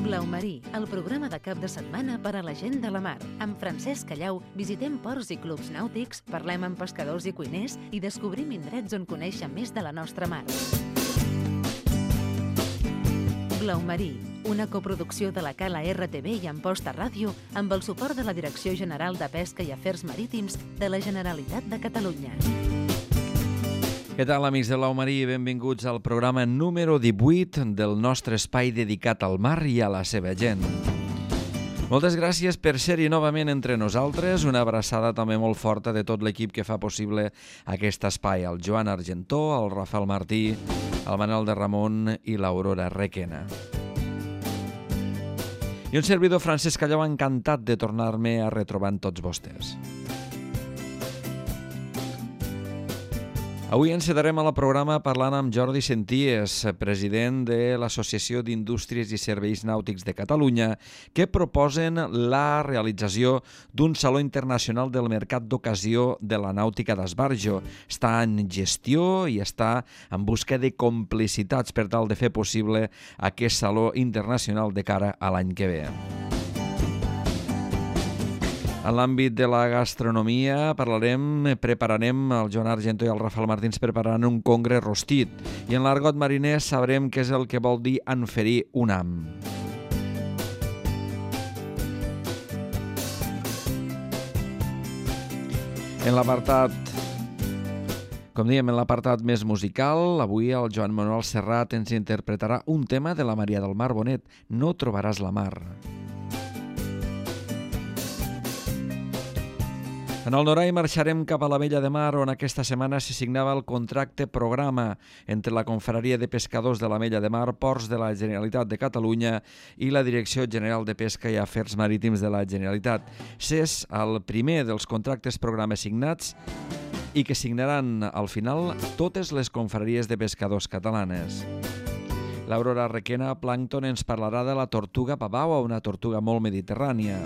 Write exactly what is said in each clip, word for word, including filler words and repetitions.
Blau Marí, el programa de cap de setmana per a la gent de la mar. Amb Francesc Callau visitem ports i clubs nàutics, parlem amb pescadors i cuiners i descobrim indrets on conèixer més de la nostra mar. Blau Marí, una coproducció de la Cala R T V i Amposta Ràdio amb el suport de la Direcció General de Pesca i Afers Marítims de la Generalitat de Catalunya. Què tal, amics de Blau Marí? Benvinguts al programa número divuit del nostre espai dedicat al mar i a la seva gent. Moltes gràcies per ser-hi novament entre nosaltres. Una abraçada també molt forta de tot l'equip que fa possible aquest espai. El Joan Argentó, el Rafael Martí, el Manel de Ramon i l'Aurora Requena. I un servidor, Francesc Callau, encantat de tornar-me a retrobar amb tots vostès. Avui encetarem a la programa parlant amb Jordi Senties, president de l'Associació d'Indústries i Serveis Nàutics de Catalunya, que proposen la realització d'un Saló Internacional del Mercat d'Ocasió de la Nàutica d'Esbarjo. Està en gestió i està en busca de complicitats per tal de fer possible aquest Saló Internacional de cara a l'any que ve. En l'àmbit de la gastronomia parlarem, prepararem, el Joan Argentó i el Rafael Martins prepararan un congre rostit i en l'argot mariner sabrem què és el que vol dir enferir un ham. En l'apartat, com dèiem, en l'apartat més musical, avui el Joan Manuel Serrat ens interpretarà un tema de la Maria del Mar Bonet, No trobaràs la mar. En el Norai marxarem cap a la Vella de Mar, on aquesta setmana se signava el contracte programa entre la Confraria de Pescadors de la Vella de Mar, Ports de la Generalitat de Catalunya i la Direcció General de Pesca i Afers Marítims de la Generalitat. S'és el primer dels contractes programa signats i que signaran al final totes les confraries de pescadors catalanes. L'Aurora Requena, Plàncton, ens parlarà de la tortuga pavaua, una tortuga molt mediterrània.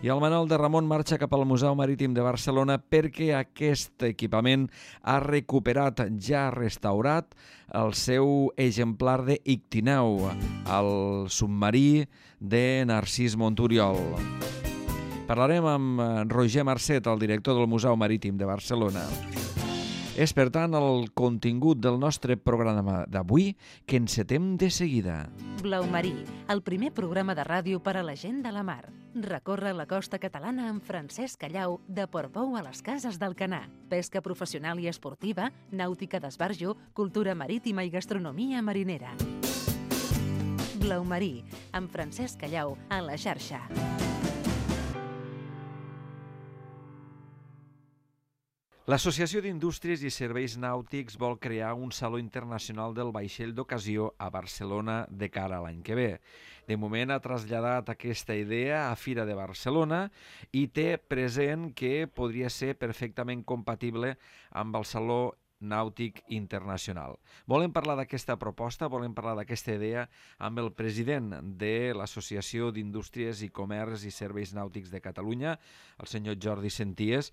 I el Manel de Ramon marxa cap al Museu Marítim de Barcelona perquè aquest equipament ha recuperat, ja restaurat, el seu exemplar de Ictineu, el submarí de Narcís Monturiol. Parlarem amb Roger Marcet, el director del Museu Marítim de Barcelona. És, per tant, el contingut del nostre programa d'avui que encetem de seguida. Blau Marí, el primer programa de ràdio per a la gent de la mar. Recorre la costa catalana amb Francesc Callau de Portbou a les Cases d'Alcanar. Pesca professional i esportiva, nàutica d'esbarjo, cultura marítima i gastronomia marinera. Blau Marí, amb Francesc Callau a la xarxa. L'Associació d'Indústries i Serveis Nàutics vol crear un Saló Internacional del Vaixell d'Ocasió a Barcelona de cara a l'any que ve. De moment ha traslladat aquesta idea a Fira de Barcelona i té present que podria ser perfectament compatible amb el Saló Nàutic Internacional. Volem parlar d'aquesta proposta, volem parlar d'aquesta idea amb el president de l'Associació d'Indústries i Comerç i Serveis Nàutics de Catalunya, el senyor Jordi Senties.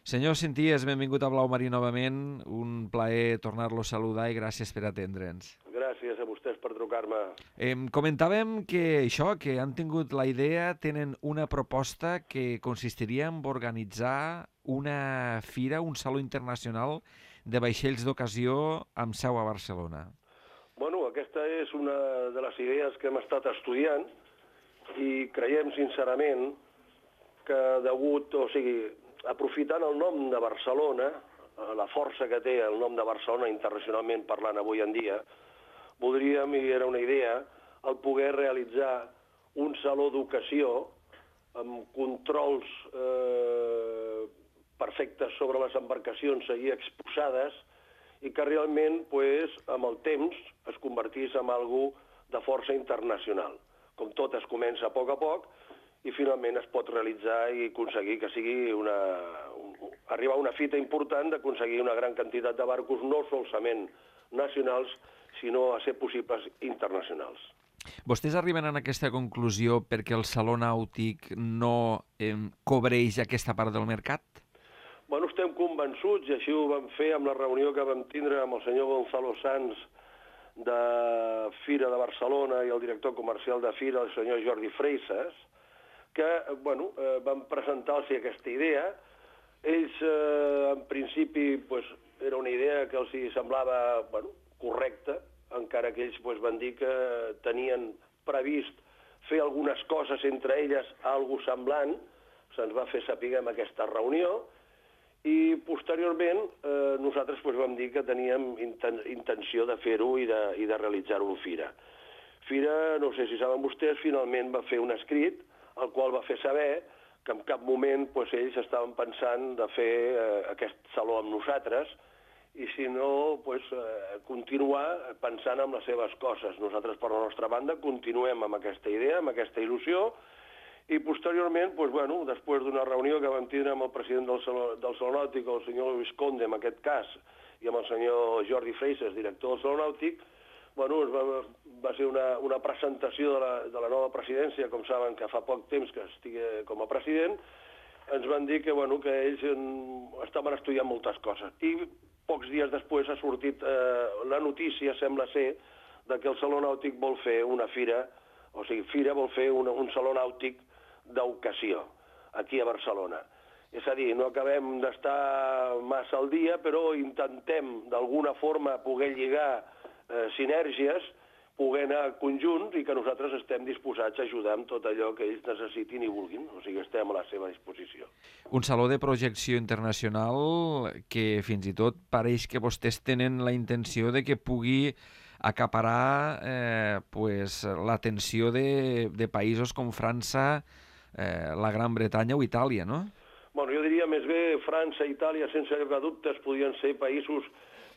Senyor Senties, benvingut a Blau Marí novament. Un plaer tornar-lo a saludar i gràcies per atendre'ns. Gràcies a vostès per trucar-me. Eh, comentàvem que això, que han tingut la idea, tenen una proposta que consistiria en organitzar una fira, un saló internacional de vaixells d'ocasió amb seu a Barcelona. Bueno, aquesta és una de les idees que hem estat estudiant i creiem sincerament que degut, o sigui, aprofitant el nom de Barcelona, la força que té el nom de Barcelona internacionalment parlant avui en dia, voldríem, i era una idea, el poder realitzar un saló d'ocasió amb controls eh, perfectes sobre les embarcacions allí exposades i que realment, pues, amb el temps, es convertís en algo de força internacional. Com tot es comença a poc a poc, i finalment es pot realitzar i aconseguir que sigui una... arribar a una fita important d'aconseguir una gran quantitat de barcos, no solament nacionals, sinó a ser possibles internacionals. Vostès arriben a aquesta conclusió perquè el Saló Nàutic no eh, cobreix aquesta part del mercat? Bueno, estem convençuts, i així ho vam fer amb la reunió que vam tindre amb el senyor Gonzalo Sanz de Fira de Barcelona i el director comercial de Fira, el senyor Jordi Freixas, que bueno, eh, van presentar-los aquesta idea. Ells, eh, en principi, pues, era una idea que els semblava bueno, correcta, encara que ells pues, van dir que tenien previst fer algunes coses entre elles algo semblant. Se'ns va fer saber en aquesta reunió i posteriorment eh, nosaltres pues, vam dir que teníem inten intenció de fer-ho i de, i de realitzar-ho en Fira. Fira, no sé si saben vostès, finalment va fer un escrit el qual va fer saber que en cap moment pues, ells estaven pensant de fer eh, aquest saló amb nosaltres i si no, pues, eh, continuar pensant en les seves coses. Nosaltres, per la nostra banda, continuem amb aquesta idea, amb aquesta il·lusió, i posteriorment, pues, bueno, després d'una reunió que vam tindre amb el president del Saló, del Saló Nàutic, el senyor Luis Conde, en aquest cas, i amb el senyor Jordi Freixas, director del Saló Nàutic, bueno, va, va ser una, una presentació de la, de la nova presidència, com saben que fa poc temps que estigui com a president, ens van dir que, bueno, que ells estaven estudiant moltes coses. I pocs dies després ha sortit eh, la notícia, sembla ser, de que el Saló Nàutic vol fer una fira, o sigui, Fira vol fer una, un saló nàutic d'ocasió, aquí a Barcelona. És a dir, no acabem d'estar massa al dia, però intentem d'alguna forma poder lligar eh, sinergies, poder anar conjunts i que nosaltres estem disposats a ajudar amb tot allò que ells necessitin i vulguin. O sigui, estem a la seva disposició. Un saló de projecció internacional que fins i tot pareix que vostès tenen la intenció de que pugui acaparar eh, pues, l'atenció de, de països com França, eh, la Gran Bretanya o Itàlia, no? Bueno, jo diria més bé França i Itàlia, sense lloc de dubtes, podrien ser països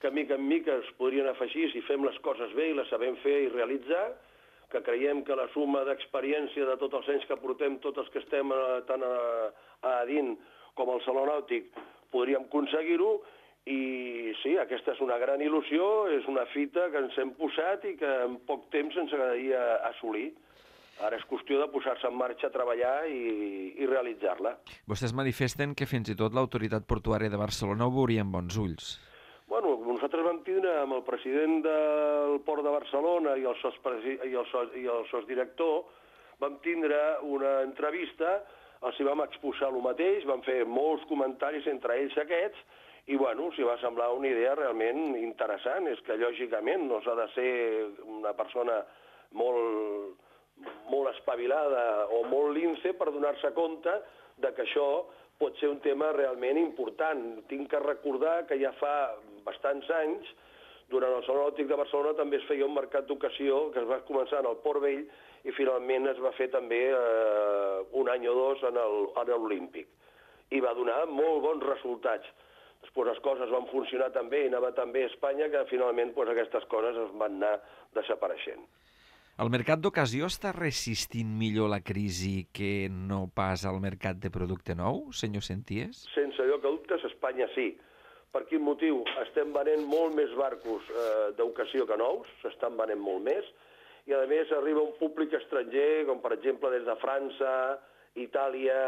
que mica en mica es podrien afegir si fem les coses bé i les sabem fer i realitzar, que creiem que la suma d'experiència de tots els anys que portem, tots els que estem a, tant a, a Adin com al Saló Nàutic, podríem aconseguir-ho. I sí, aquesta és una gran il·lusió, és una fita que ens hem posat i que en poc temps ens agradaria assolir. Ara és qüestió de posar-se en marxa a treballar i, i realitzar-la. Vostès manifesten que fins i tot l'autoritat portuària de Barcelona ho veuria amb bons ulls. Bueno, nosaltres vam tindre amb el president del Port de Barcelona i el, sos, i el, sos, i el sosdirector, vam tindre una entrevista, els vam exposar el mateix, vam fer molts comentaris entre ells aquests, i bueno, s'hi va semblar una idea realment interessant. És que lògicament no s'ha de ser una persona molt, molt espavilada o molt lince per donar-se compte de que això pot ser un tema realment important. Tinc que recordar que ja fa bastants anys, durant el Saló Nàutic de Barcelona també es feia un mercat d'ocasió que es va començar en el Port Vell i finalment es va fer també eh, un any o dos en l'Olímpic. I va donar molt bons resultats. Després les coses van funcionar també i anava també a Espanya que finalment pues, aquestes coses es van anar desapareixent. El mercat d'ocasió està resistint millor la crisi que no pas el mercat de producte nou, senyor Senties? Sense lloc de dubtes, Espanya sí. Per quin motiu? Estem venent molt més barcos eh, d'ocasió que nous, s'estan venent molt més, i a més arriba un públic estranger, com per exemple des de França, Itàlia,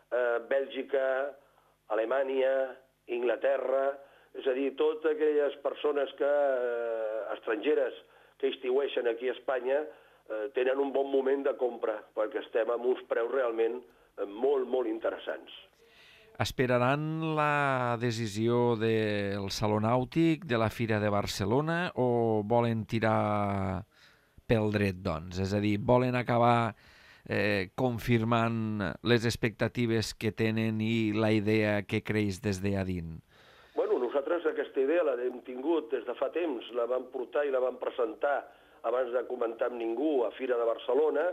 eh, Bèlgica, Alemanya, Inglaterra, és a dir, totes aquelles persones que, eh, estrangeres que estiueixen aquí a Espanya eh, tenen un bon moment de compra, perquè estem amb uns preus realment eh, molt, molt interessants. Esperaran la decisió del Saló Nàutic, de la Fira de Barcelona, o volen tirar pel dret, doncs? És a dir, volen acabar eh, confirmant les expectatives que tenen i la idea que creix des d'Adin? Bueno, nosaltres aquesta idea l'hem tingut des de fa temps, la vam portar i la vam presentar abans de comentar amb ningú a Fira de Barcelona.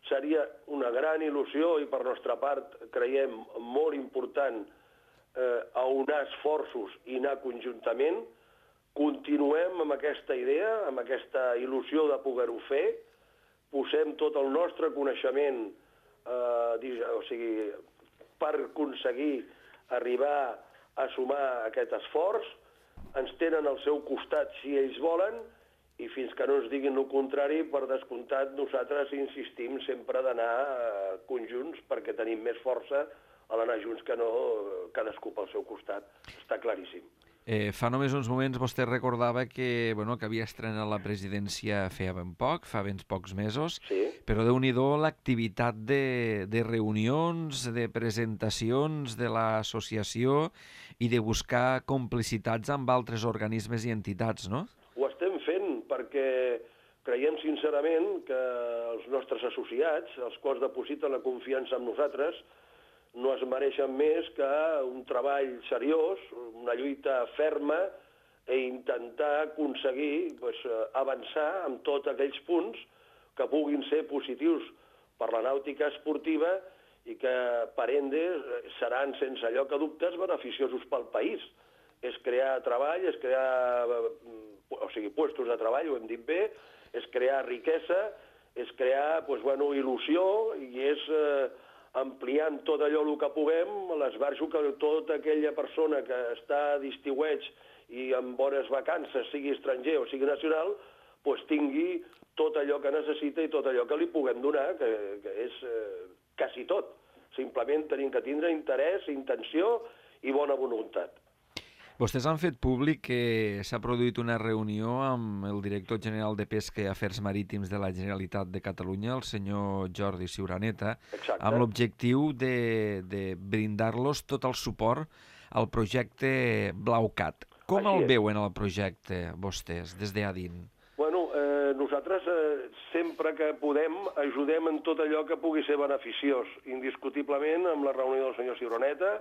Seria una gran il·lusió i per nostra part creiem molt important eh, aunar esforços i anar conjuntament. Continuem amb aquesta idea, amb aquesta il·lusió de poder-ho fer, posem tot el nostre coneixement eh, o sigui, per aconseguir arribar a sumar aquest esforç, ens tenen al seu costat si ells volen, i fins que no ens diguin el contrari, per descomptat, nosaltres insistim sempre d'anar eh, conjunts perquè tenim més força a l'anar junts que no cadascú pel seu costat. Està claríssim. Eh, fa només uns moments vostè recordava que, bueno, que havia estrenat la presidència feia ben poc, fa ben pocs mesos, Sí. però Déu-n'hi-do l'activitat de, de reunions, de presentacions de l'associació i de buscar complicitats amb altres organismes i entitats, no? Ho estem fent perquè creiem sincerament que els nostres associats, els quals depositen la confiança en nosaltres, no es mereixen més que un treball seriós, una lluita ferma i intentar aconseguir pues, avançar en tots aquells punts que puguin ser positius per la nàutica esportiva i que, per ende, seran, sense lloc a dubtes, beneficiosos pel país. És crear treball, és crear o sigui, puestos de treball, ho hem dit bé, és crear riquesa, és crear pues, bueno, il·lusió i és... Eh, ampliant tot allò el que puguem, l'esbarjo que tota aquella persona que està d'estiueig i amb bones vacances, sigui estranger o sigui nacional, pues tingui tot allò que necessita i tot allò que li puguem donar, que, que és eh, quasi tot. Simplement tenim que tindre interès, intenció i bona voluntat. Vostès han fet públic que s'ha produït una reunió amb el director general de Pesca i Afers Marítims de la Generalitat de Catalunya, el senyor Jordi Ciuraneta, Exacte. amb l'objectiu de, de brindar-los tot el suport al projecte BlauCat. Com Així el és. veuen el projecte vostès, des d'Adin? Bueno, eh, nosaltres eh, sempre que podem ajudem en tot allò que pugui ser beneficiós. Indiscutiblement, amb la reunió del senyor Ciuraneta,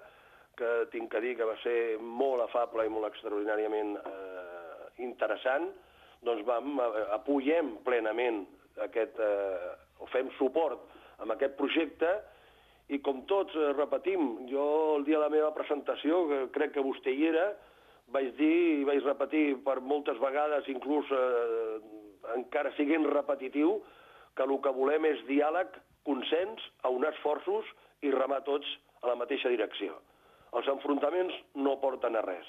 que tinc que dir que va ser molt afable i molt extraordinàriament eh, interessant, doncs vam, eh, apoyem plenament aquest, eh, o fem suport amb aquest projecte i com tots eh, repetim, jo el dia de la meva presentació, que crec que vostè hi era, vaig dir i vaig repetir per moltes vegades, inclús eh, encara siguent repetitiu, que el que volem és diàleg, consens, aunar esforços i remar tots a la mateixa direcció. Els enfrontaments no porten a res.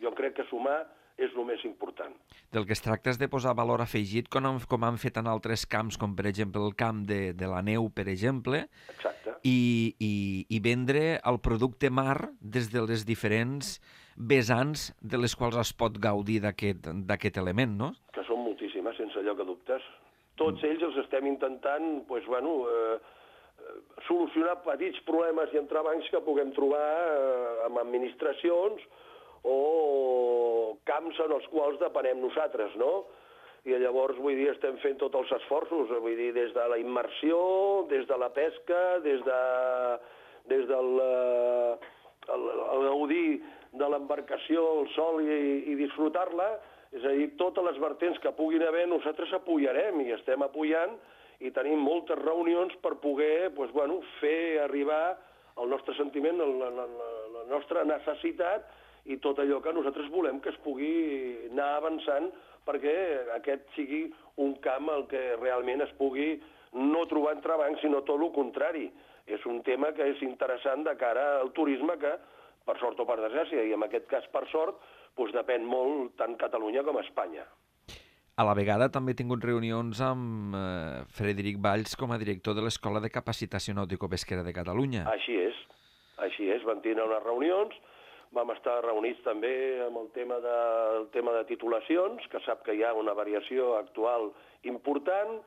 Jo crec que sumar és el més important. Del que es tracta és de posar valor afegit, com han, com han fet en altres camps, com per exemple el camp de, de la neu, per exemple, Exacte. i, i, i vendre el producte mar des de les diferents vessants de les quals es pot gaudir d'aquest element, no? Que són moltíssimes, sense lloc a dubtes. Tots ells els estem intentant, pues, bueno, eh, solucionar petits problemes i entrebancs que puguem trobar eh, amb administracions o camps en els quals depenem nosaltres, no? I llavors, vull dir, estem fent tots els esforços, vull dir, des de la immersió, des de la pesca, des de des del eh, el, el gaudir de l'embarcació, el sol i, i disfrutar-la, és a dir, totes les vertents que puguin haver, nosaltres apoyarem i estem apoyant i tenim moltes reunions per poder pues, bueno, fer arribar el nostre sentiment, la, la, la nostra necessitat i tot allò que nosaltres volem que es pugui anar avançant perquè aquest sigui un camp al que realment es pugui no trobar entrebancs, sinó tot el contrari. És un tema que és interessant de cara al turisme que, per sort o per desgràcia, i en aquest cas per sort, doncs depèn molt tant Catalunya com Espanya. A la vegada també he tingut reunions amb eh, Frederic Valls com a director de l'Escola de Capacitació Nàutico-Pesquera de Catalunya. Així és, així és, vam tenir unes reunions, vam estar reunits també amb el tema de, el tema de titulacions, que sap que hi ha una variació actual important,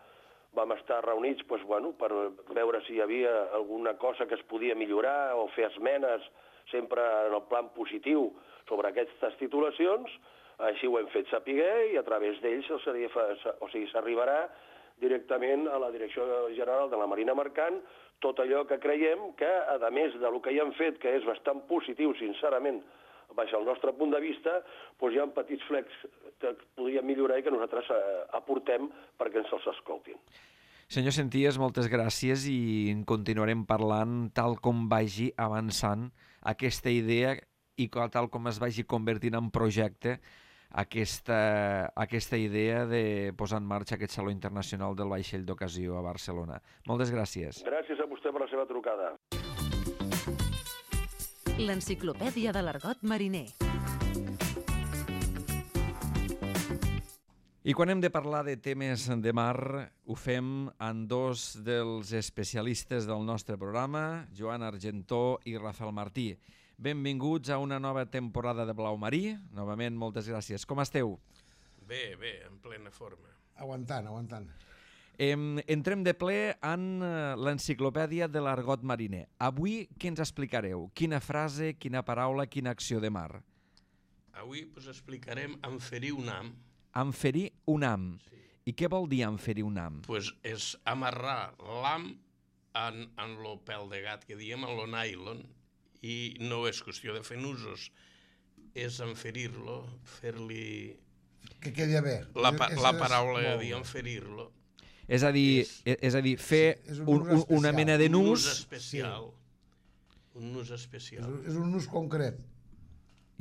vam estar reunits doncs, bueno, per veure si hi havia alguna cosa que es podia millorar o fer esmenes sempre en el plan positiu sobre aquestes titulacions. Així ho hem fet saber i a través d'ells o sigui, s'arribarà directament a la Direcció General de la Marina Mercant tot allò que creiem que, a més del que hi han fet, que és bastant positiu, sincerament, baix el nostre punt de vista, doncs hi ha petits flecs que podríem millorar i que nosaltres aportem perquè ens els escoltin. Senyor Senties, moltes gràcies i en continuarem parlant tal com vagi avançant aquesta idea i tal com es vagi convertint en projecte aquesta, aquesta idea de posar en marxa aquest Saló Internacional del Vaixell d'Ocasió a Barcelona. Moltes gràcies. Gràcies a vostè per la seva trucada. L'Enciclopèdia de l'Argot Mariner. I quan hem de parlar de temes de mar, ho fem amb dos dels especialistes del nostre programa, Joan Argentó i Rafael Martí. Benvinguts a una nova temporada de Blau Marí. Novament, moltes gràcies. Com esteu? Bé, bé, en plena forma. Aguantant, aguantant. Em, entrem de ple en l'enciclopèdia de l'argot mariner. Avui, què ens explicareu? Quina frase, quina paraula, quina acció de mar? Avui us explicarem enferir un ham. Enferir un ham. Sí. I què vol dir enferir un ham? Pues és amarrar l'ham en, en lo pèl de gat, que diem, en lo nylon, i no és qüestió de fer nusos, és enferir-lo, fer-li... Que quedi bé. La, pa la paraula de dir enferir-lo. És a dir, és, és a dir fer sí, un, un, una mena de nus... Un nus especial. Sí. Un nus especial. És, és un nus concret.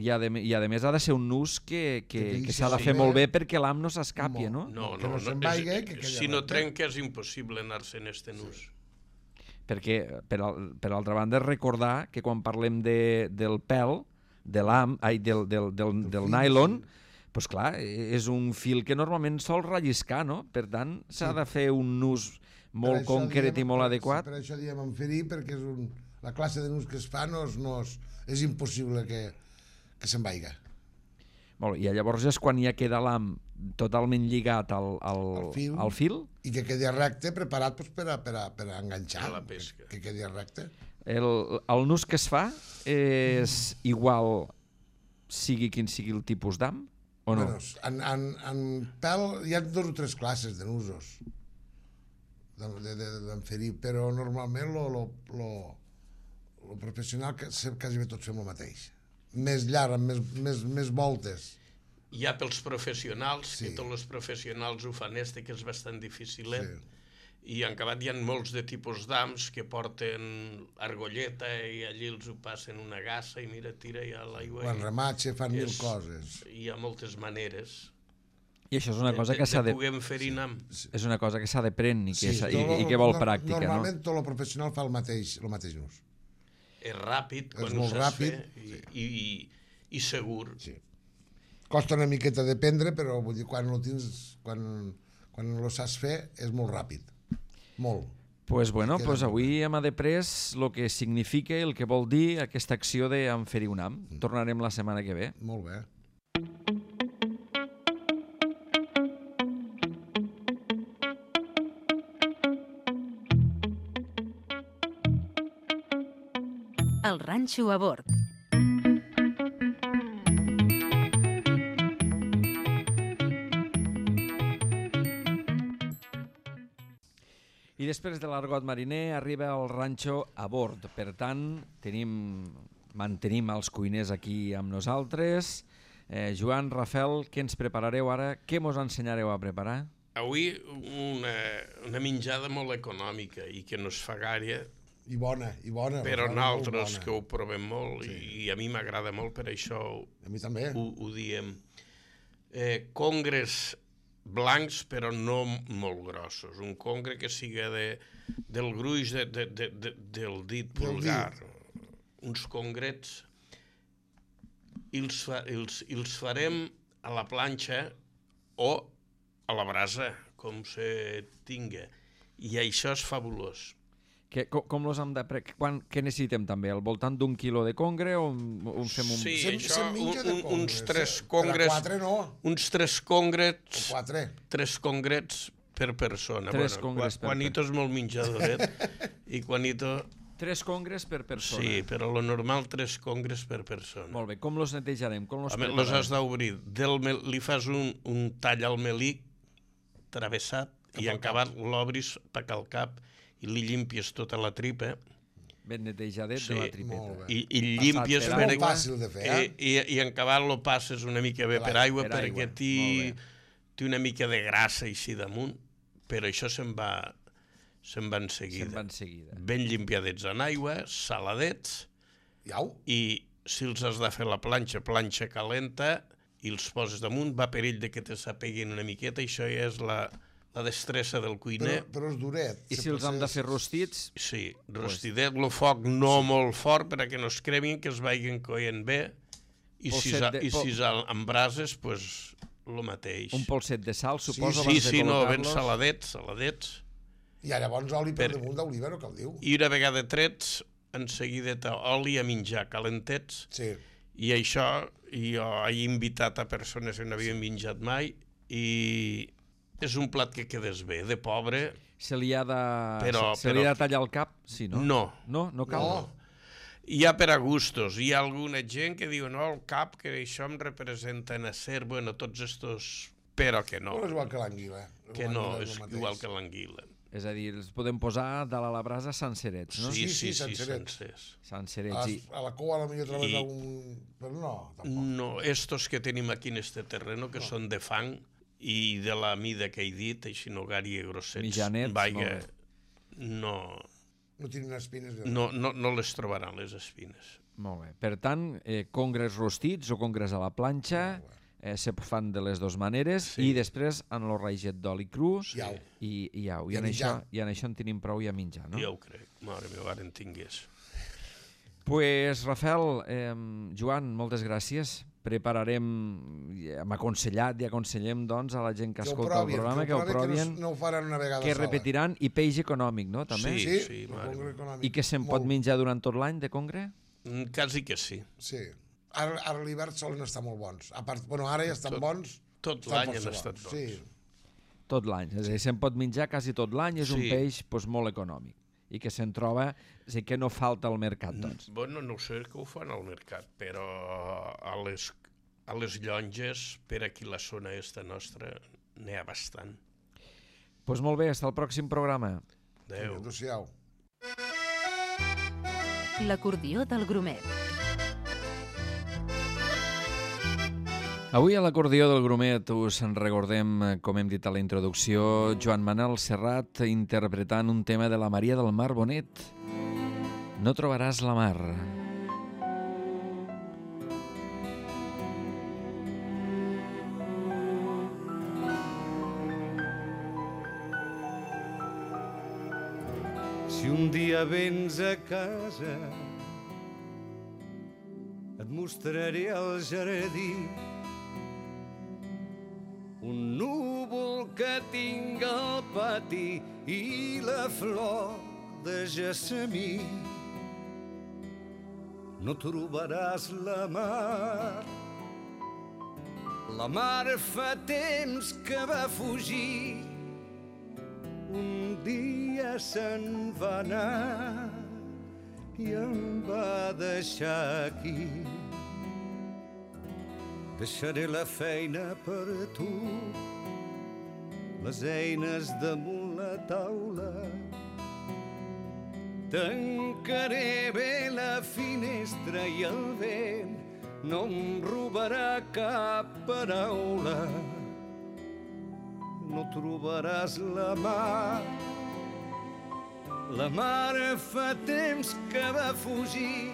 I a, de, I a més ha de ser un nus que, que, que, que s'ha de fer molt bé perquè l'ham no s'escapi, no? No, no, que no, no, no és, que si no trenca és impossible anar-se en este nus. Sí. Perquè, per, per altra banda, recordar que quan parlem de, del pèl, de l'ham, ai, del, del, del, del nylon, doncs clar, és un fil que normalment sol relliscar, no? Per tant, s'ha sí. de fer un nus molt concret diem, i molt adequat. Per això diem enferir, perquè és un, la classe de nus que es fa no és, no és, és impossible que, que se'n vaiga. Molt bé, i llavors és quan ja queda l'ham totalment lligat al, al, al, fil, al fil. I que quedi recte, preparat pues, per, a, per, a, per a enganxar. A la pesca. Que, que quedi recte. El, el nus que es fa és igual sigui quin sigui el tipus d'ham, o no? Bueno, en, en, en pèl hi ha dos o tres classes de nusos d'enferir, però normalment lo, lo, lo, lo professional que quasi bé tots fem el mateix. Més llarg, amb més, més, més voltes. Hi ha pels professionals, sí. que tots els professionals ho fan este, que és bastant difícil, eh? Sí. I en acabat hi ha molts de tipus d'hams que porten argolleta i allí els ho passen una gassa i mira, tira ja l'aigua. Quan rematxa fan mil coses. Hi ha moltes maneres. I això és una cosa que s'ha de... De poder enferir ham. És una cosa que s'ha de prendre i, que sí, i, i que vol no, pràctica, no? Normalment tot el professional fa el mateix, el mateix nus. És ràpid, és quan molt ho saps ràpid, fer, sí. i, i, i segur. Sí. Costa una miqueta d'aprendre, però vull dir, quan lo tens, quan, quan lo saps fer, és molt ràpid. Molt. Pues bueno, pues avui hem après el que significa, el que vol dir aquesta acció d'enferir un ham. Mm. Tornarem la setmana que ve. Molt bé. El ranxo a bord. I després de l'argot mariner arriba el ranxo a bord. Per tant, tenim, mantenim els cuiners aquí amb nosaltres. Eh, Joan, Rafael, què ens preparareu ara? Què mos ensenyareu a preparar? Avui una, una menjada molt econòmica i que no es fa gaire. I bona, i bona. Però nosaltres que ho provem molt, sí. i, i a mi m'agrada molt, per això a mi també. Ho, ho diem. Eh, congres blancs, però no molt grossos. Un congre que siga de, del gruix de, de, de, de, del dit pulgar. Dit. Uns congrets, i els, fa, els, els farem a la planxa o a la brasa, com se tinga. I això és fabulós. Que, com, com los hem de pre... Quan, què necessitem també? Al voltant d'un quilo de congre o un fem un... Sí, sem, això, un, un, uns tres eh? congres... Per a quatre no. Uns tres congrets... O quatre. Tres congrets per persona. Tres bueno, congres per Juanito és molt menjadoret i Juanito... Tres congres per persona. Sí, però lo normal tres congres per persona. Molt bé, com los netejarem? Com los preparem? Los has d'obrir. Li fas un, un tall al melic travessat i en acabat l'obris per al cap i li llimpies tota la tripa. Ben netejadet sí, de la tripeta. I, i llimpies... És molt fàcil de fer, eh? I, i, i en acabat lo passes una mica bé per aigua, per perquè té una mica de grassa així damunt, però això se'n va, se'n va en seguida. Se'n va en seguida. Ben limpiadets en aigua, saladets, Iau. i si els has de fer la planxa, planxa calenta, i els poses damunt, va perill de que te s'apeguin una miqueta, i això ja és la... la destressa del cuiner. Però, però és duret. I si els hem de fer rostits? Sí, rostidet, el foc no sí. molt fort perquè no es cremin, que es vagin coent bé, i si, de... i si amb brases, pues, el mateix. Un polset de sal, suposo, sí, abans sí, de col·locar-los. Sí, sí, no, ben saladets, saladets. I llavors oli per, per damunt d'oliva, no cal diu. I una vegada trets, en seguideta oli a menjar calentets, Sí. i això jo he invitat a persones que no havien menjat mai, i és un plat que quedes bé, de pobre. Se li ha de, Però- se li ha però- de tallar el cap? Sí, no? No. No, no cal? No. Hi ha per a gustos. Hi ha alguna gent que diu, no, el cap, que això em representa en acer, bueno, tots estos... Però que no, Però és igual que l'anguila. que no, és el mateix. igual que l'anguila. És a dir, els podem posar de la brasa sencerets, no? Sí, Sí, sí, sí, sí, sencerets. sencers. A, Sencerets. I... a la cua a la millor trobes I- algun... Però no, tampoc. No, estos que tenim aquí en este terreno, que són de fang i de la mida que he dit, així no gària grossets, Mitjanets, vaja, molt no, No tenen espines. no, no, no les trobaran, les espines. Molt bé. Per tant, eh, congres rostits o congres a la planxa, eh, se fan de les dues maneres, Sí. i després en el raget d'oli cru I au. i, i au. I, I a en això, menjar. I en això en tenim prou i a menjar, no? Ja ho crec, mare meva, ara en tingués. Pues, Rafael, eh, Joan, moltes gràcies. Prepararem, ja hem aconsellat i aconsellem doncs, a la gent que, Que ho escolta provin, el programa, que ho provin, provin, que no, no ho faran una vegada que sola. repetiran, i peix econòmic, no? També? Sí. Sí, sí, el mare congre meva. econòmic. I que se'n pot Molt. menjar durant tot l'any de congre? Mm, Quasi que sí. Sí. Ara, ara a l'hivern solen estar molt bons. A part, bueno, ara ja estan Tot- bons. tot estan l'any força han estat bons. Sí. Tot l'any. És a dir, se'n pot menjar quasi tot l'any, és un Sí. peix doncs, molt econòmic i que se'n troba, és a dir, que no falta al mercat, doncs. Bueno, no ho sé que ho fan al mercat, però a les, a les llonges, per aquí la zona esta nostra, n'hi ha bastant. Doncs pues molt bé, fins al pròxim programa. Adéu. Adéu-siau. L'acordió del Grumet. Avui a l'acordió del Grumet us en recordem, eh, com hem dit a la introducció, Joan Manel Serrat interpretant un tema de la Maria del Mar Bonet. No trobaràs la mar. Si un dia vens a casa et mostraré el jardí, un núvol que tinc al pati i la flor de gessamí. No trobaràs la mar, la mar fa temps que va fugir, un dia se'n va anar i em va deixar aquí. Deixaré la feina per tu, les eines damunt la taula. Tancaré bé la finestra i el vent no em robarà cap paraula. No trobaràs la mar, la mar fa temps que va fugir,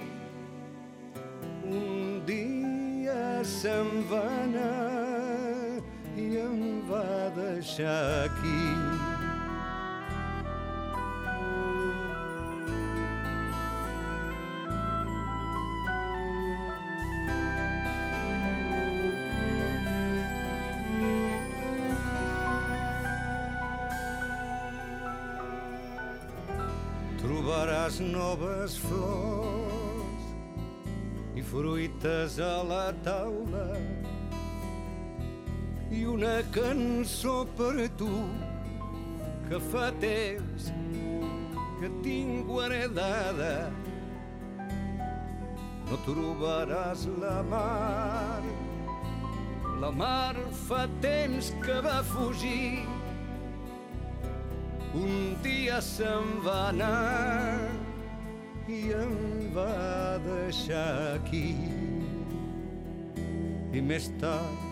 un dia se'n va anar i em va deixar aquí. Trobaràs noves flors i fruites a la taula i una cançó per tu que fa temps que tinc guardada. No trobaràs la mar, la mar fa temps que va fugir, un dia se'n va anar i em va deixar aquí. I més tard,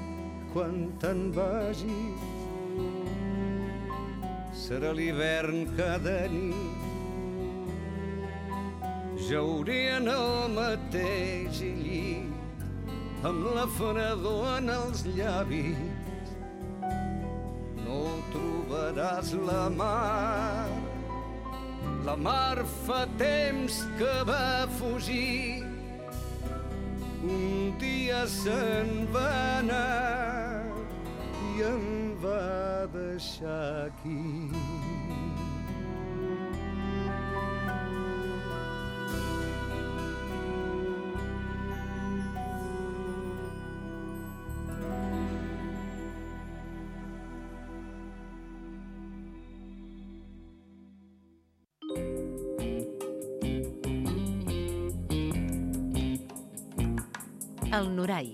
quan te'n vagis, serà l'hivern cada nit. Jauré en el mateix llit, amb la fredor en els llavis. No trobaràs la mar, la mar fa temps que va fugir, un dia se'n va anar i em va deixar aquí. El Norai.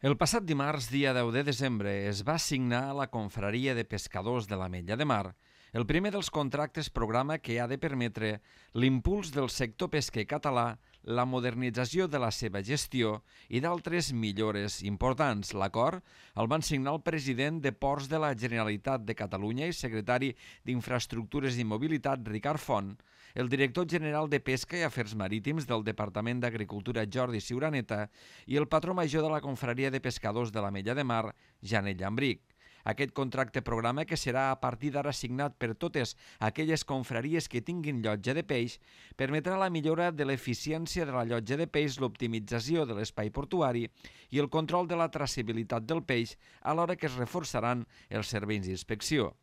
El passat dimarts, dia deu de desembre, es va signar a la Confraria de Pescadors de l'Ametlla de Mar el primer dels contractes programa que ha de permetre l'impuls del sector pesquer català, la modernització de la seva gestió i d'altres millores importants. L'acord el van signar el president de Ports de la Generalitat de Catalunya i secretari d'Infraestructures i Mobilitat, Ricard Font, el director general de Pesca i Afers Marítims del Departament d'Agricultura, Jordi Ciuraneta, i el patró major de la Confraria de Pescadors de l'Ametlla de Mar, Janet Llambric. Aquest contracte programa, que serà a partir d'ara signat per totes aquelles confraries que tinguin llotja de peix, permetrà la millora de l'eficiència de la llotja de peix, l'optimització de l'espai portuari i el control de la traçabilitat del peix, alhora que es reforçaran els serveis d'inspecció.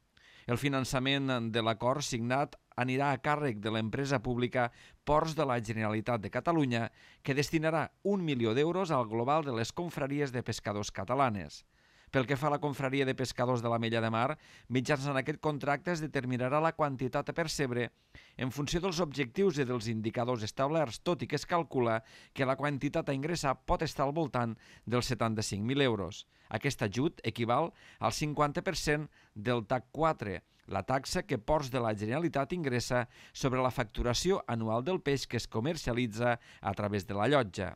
El finançament de l'acord signat anirà a càrrec de l'empresa pública Ports de la Generalitat de Catalunya, que destinarà un milió d'euros al global de les confraries de pescadors catalanes. Pel que fa a la Confraria de Pescadors de l'Ametlla de Mar, mitjançant aquest contracte es determinarà la quantitat a percebre en funció dels objectius i dels indicadors establerts, tot i que es calcula que la quantitat a ingressar pot estar al voltant dels setanta-cinc mil euros. Aquest ajut equival al cinquanta per cent del T A C quatre, la taxa que Ports de la Generalitat ingressa sobre la facturació anual del peix que es comercialitza a través de la llotja.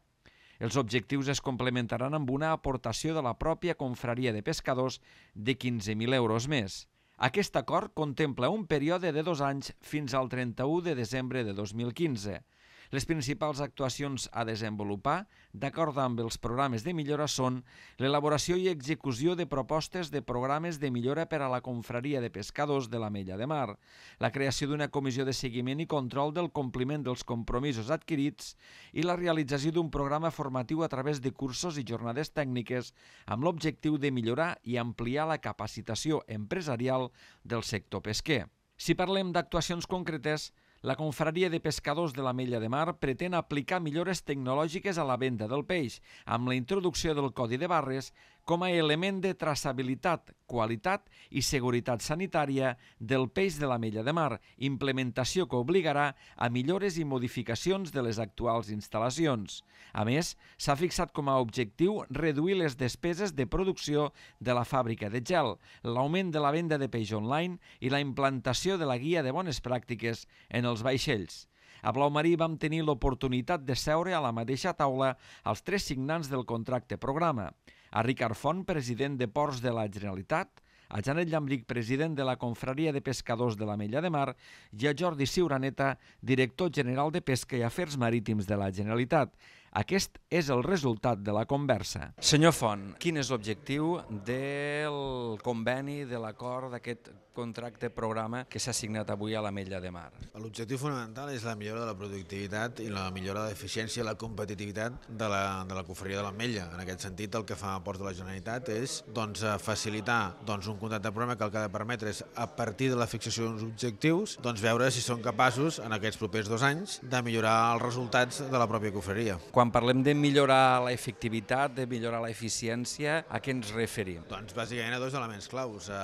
Els objectius es complementaran amb una aportació de la pròpia confraria de pescadors de quinze mil euros més. Aquest acord contempla un període de dos anys fins al trenta-u de desembre de dos mil quinze. Les principals actuacions a desenvolupar, d'acord amb els programes de millora, són l'elaboració i execució de propostes de programes de millora per a la confraria de pescadors de l'Ametlla de Mar, la creació d'una comissió de seguiment i control del compliment dels compromisos adquirits i la realització d'un programa formatiu a través de cursos i jornades tècniques amb l'objectiu de millorar i ampliar la capacitació empresarial del sector pesquer. Si parlem d'actuacions concretes, la Confraria de Pescadors de l'Ametlla de Mar pretén aplicar millores tecnològiques a la venda del peix, amb la introducció del codi de barres com a element de traçabilitat, qualitat i seguretat sanitària del peix de l'Ametlla de Mar, implementació que obligarà a millores i modificacions de les actuals instal·lacions. A més, s'ha fixat com a objectiu reduir les despeses de producció de la fàbrica de gel, l'augment de la venda de peix online i la implantació de la guia de bones pràctiques en els vaixells. A Blau Marí vam tenir l'oportunitat de seure a la mateixa taula els tres signants del contracte programa. A Ricard Font, president de Ports de la Generalitat, a Janet Llambric, president de la Confraria de Pescadors de l'Ametlla de Mar, i a Jordi Ciuraneta, director general de Pesca i Afers Marítims de la Generalitat. Aquest és el resultat de la conversa. Senyor Font, quin és l'objectiu del conveni, de l'acord d'aquest contracte programa que s'ha signat avui a l'Ametlla de Mar? L'objectiu fonamental és la millora de la productivitat i la millora de l'eficiència i la competitivitat de la, de la confraria de l'Ametlla. En aquest sentit, el que fa Ports de la Generalitat és doncs, facilitar doncs, un contracte programa que el que ha de permetre és, a partir de la fixació d'uns objectius, doncs, veure si són capaços, en aquests propers dos anys, de millorar els resultats de la pròpia confraria. Quan parlem de millorar la efectivitat, de millorar la eficiència, a què ens referim? Doncs bàsicament a dos elements claus. Eh,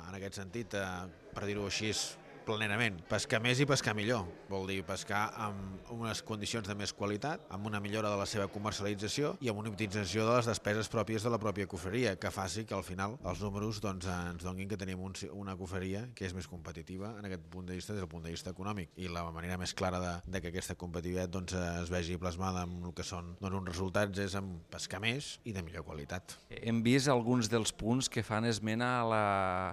en aquest sentit, eh, per dir-ho així, plenament. Pescar més i pescar millor. Vol dir pescar amb unes condicions de més qualitat, amb una millora de la seva comercialització i amb una optimització de les despeses pròpies de la pròpia confraria, que faci que al final els números doncs, ens donin que tenim un, una confraria que és més competitiva en aquest punt de vista, des del punt de vista econòmic. I la manera més clara de, de que aquesta competitivitat doncs, es vegi plasmada amb el que són doncs, uns resultats és amb pescar més i de millor qualitat. Hem vist alguns dels punts que fan esmena a la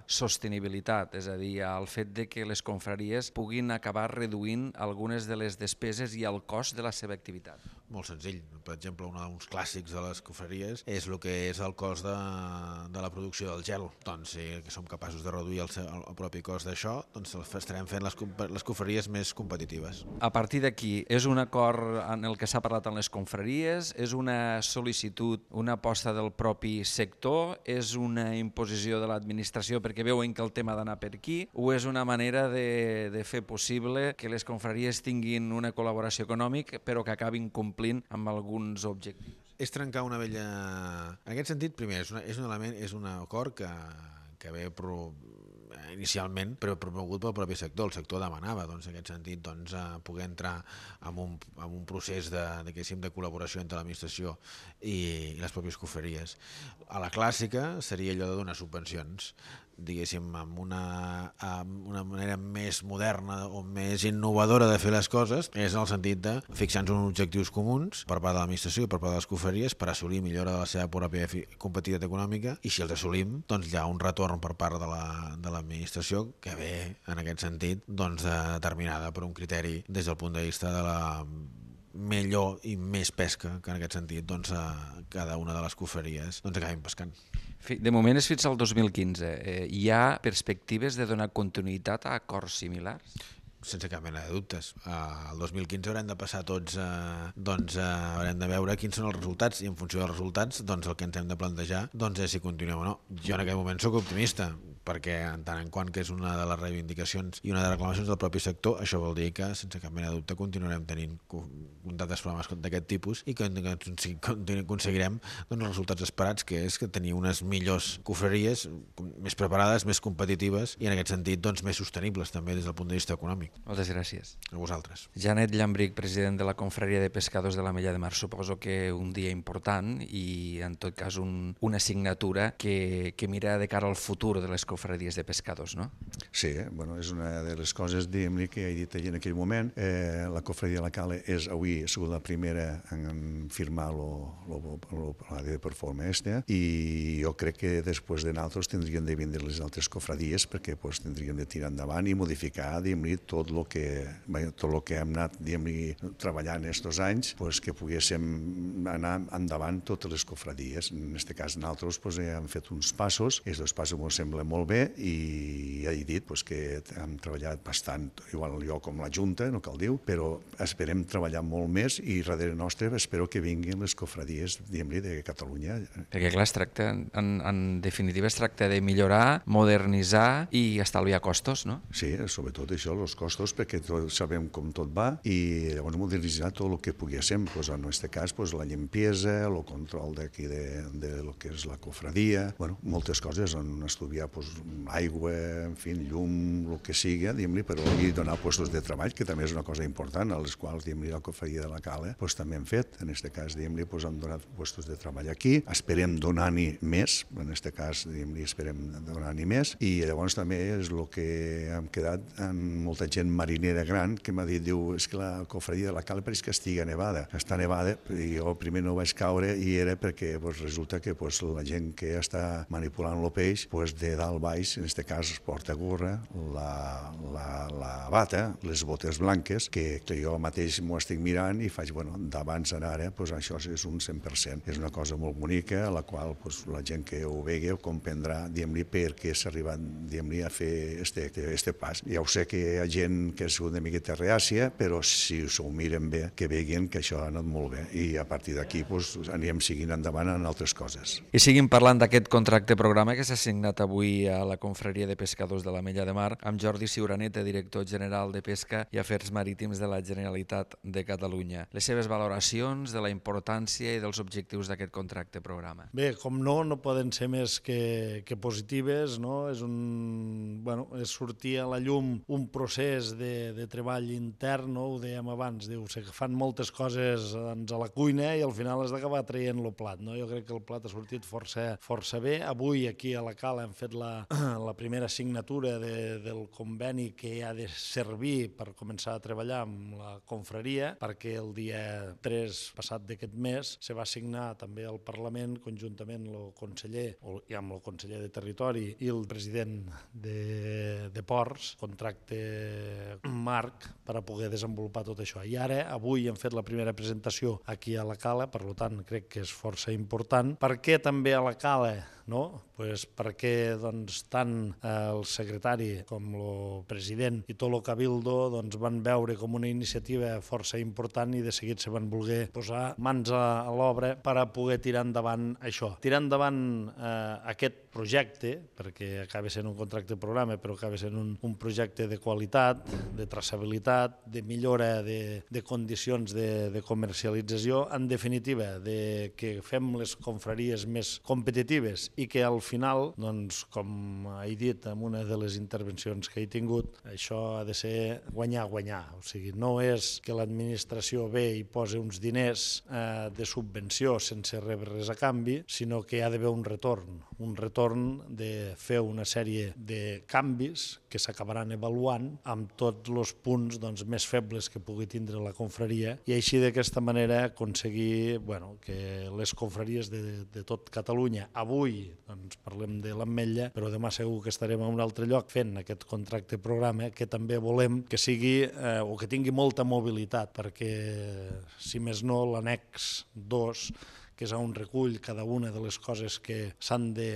sostenibilitat, és a dir, al fet de que les confraries puguin acabar reduint algunes de les despeses i el cost de la seva activitat. Molt senzill. Per exemple, un dels clàssics de les confraries és el que és el cost de, de la producció del gel. Doncs si som capaços de reduir el, el propi cost d'això, doncs estarem fent les, les confraries més competitives. A partir d'aquí, és un acord en el que s'ha parlat en les confraries? És una sol·licitud, una aposta del propi sector? És una imposició de l'administració perquè veuen que el tema ha d'anar per aquí? O és una manera de, de fer possible que les confraries tinguin una col·laboració econòmica però que acabin complint amb alguns objectius? És trencar una vella... En aquest sentit, primer, és, una, és un element, és un acord que, que ve pro... inicialment però promogut pel propi sector. El sector demanava, doncs, en aquest sentit, doncs, poder entrar en un, en un procés de, de, de col·laboració entre l'administració i, i les pròpies confraries. A la clàssica seria allò de donar subvencions, diguéssim, amb una, amb una manera més moderna o més innovadora de fer les coses, és en el sentit de fixar-nos uns objectius comuns per part de l'administració i per part de les confraries per assolir millora de la seva pròpia competitivitat econòmica, i si els assolim, doncs hi ha un retorn per part de la, de l'administració que ve, en aquest sentit, doncs, determinada per un criteri des del punt de vista de la millor i més pesca, que en aquest sentit doncs, cada una de les confraries doncs, acabin pescant. De moment és fins al dos mil quinze. Eh, hi ha perspectives de donar continuïtat a acords similars? Sense cap mena de dubtes. Uh, el dos mil quinze haurem de passar tots, uh, doncs uh, haurem de veure quins són els resultats, i en funció dels resultats doncs el que ens hem de plantejar doncs és si continuem o no. Jo en aquest moment sóc optimista, perquè en tant en quant que és una de les reivindicacions i una de les reclamacions del propi sector, això vol dir que sense cap mena de dubte continuarem tenint contactes programes d'aquest tipus i que aconseguirem doncs, els resultats esperats, que és que tenir unes millors confraries més preparades, més competitives i en aquest sentit doncs, més sostenibles també des del punt de vista econòmic. Moltes gràcies. A vosaltres. Janet Llambric, president de la Confraria de Pescadors de l'Ametlla de Mar. Suposo que un dia important i en tot cas un, una assignatura que, que mira de cara al futur de les confraries de pescadors, no? Sí, bueno, és una de les coses, diguem-li, que he dit allà en aquell moment. Eh, la Confraria de la Cala és avui ha sigut la primera en firmar la de performa esta, i jo crec que després de nosaltres tindríem de vindre les altres cofradies perquè pues, tindríem de tirar endavant i modificar, diguem-li, tot el que, tot lo que hem anat treballant aquests anys, pues, que poguéssim anar endavant totes les cofradies. En aquest cas, nosaltres pues, hem fet uns passos, aquests dos passos ens semblen molt bé, i ja he dit pues, que hem treballat bastant, igual jo com la Junta, no cal dir, però esperem treballar molt més, i darrere nostre espero que vinguin les cofradies de Catalunya. Perquè clar, es tracta, en, en definitiva es tracta de millorar, modernitzar i estalviar costos, no? Sí, sobretot això, els costos, perquè tot, sabem com tot va, i llavors modernitzar tot el que poguéssim, pues, en aquest cas pues, la limpiesa, el control d'aquí de, de lo que és la cofradia, bueno, moltes coses, on estudiar pues, aigua, en fi, llum, el que sigui, però i donar puestos de treball, que també és una cosa important, a les quals la Confraria de la Cala pues, també hem fet. En aquest cas pues, hem donat puestos de treball aquí, esperem donar-n'hi més, en aquest cas esperem donar-n'hi més, i llavors també és el que hem quedat amb molta gent marinera gran que m'ha dit, diu, és que la Confraria de la Cala pareix que estigui nevada. Està nevada, i jo primer no vaig caure, i era perquè pues, resulta que pues, la gent que està manipulant el peix, pues, de dalt baix, en aquest cas es porta gorra, la, la, la bata, les botes blanques, que, que jo mateix m'ho estic mirant i faig, bueno, d'abans a ara, pues, això és un cent per cent. És una cosa molt bonica, a la qual pues, la gent que ho vegi ho comprendrà, diguem-li, per què s'ha arribat, diguem-li, a fer este, este pas. Ja ho sé que hi ha gent que ha sigut una miqueta reàcia, però si s'ho miren bé, que veguin que això ha anat molt bé, i a partir d'aquí pues, anirem seguint endavant en altres coses. I seguim parlant d'aquest contracte programa que s'ha signat avui a la Confraria de Pescadors de l'Ametlla de Mar amb Jordi Ciuraneta, director general de Pesca i Afers Marítims de la Generalitat de Catalunya. Les seves valoracions de la importància i dels objectius d'aquest contracte programa. Bé, com no, no poden ser més que, que positives, no? És un, bueno, és sortir a la llum un procés de, de treball intern, no? Ho dèiem abans, diu, se fan moltes coses doncs, a la cuina i al final has d'acabar traient el plat, no? Jo crec que el plat ha sortit força, força bé. Avui aquí a la Cala hem fet la, la primera signatura de, del conveni que ha de servir per començar a treballar amb la confraria, perquè el dia tres passat d'aquest mes se va signar també al Parlament conjuntament el conseller, i amb el conseller de Territori i el president de, de Ports, contracte marc per a poder desenvolupar tot això. I ara, avui hem fet la primera presentació aquí a la Cala, per tant crec que és força important. Per què també a la Cala? No? Pues perquè doncs, tant el secretari com el president i tot el cabildo doncs, van veure com una iniciativa força important i de seguit se van voler posar mans a, a l'obra per a poder tirar endavant això. Tirar endavant eh, aquest projecte, perquè acaba sent un contracte programa, però acaba sent un, un projecte de qualitat, de traçabilitat, de millora de, de condicions de, de comercialització, en definitiva, de que fem les confraries més competitives i que al final, doncs, com he dit en una de les intervencions que he tingut, això ha de ser guanyar-guanyar. O sigui, no és que l'administració ve i posa uns diners eh, de subvenció sense rebre res a canvi, sinó que hi ha d'haver un retorn, un retorn de fer una sèrie de canvis que s'acabaran avaluant amb tots els punts doncs, més febles que pugui tindre la confraria i així d'aquesta manera aconseguir bueno, que les confraries de, de tot Catalunya, avui doncs, parlem de l'Ametlla, però demà segur que estarem en un altre lloc fent aquest contracte programa que també volem que sigui eh, o que tingui molta mobilitat perquè si més no l'annex dos que és on recull cada una de les coses que s'han de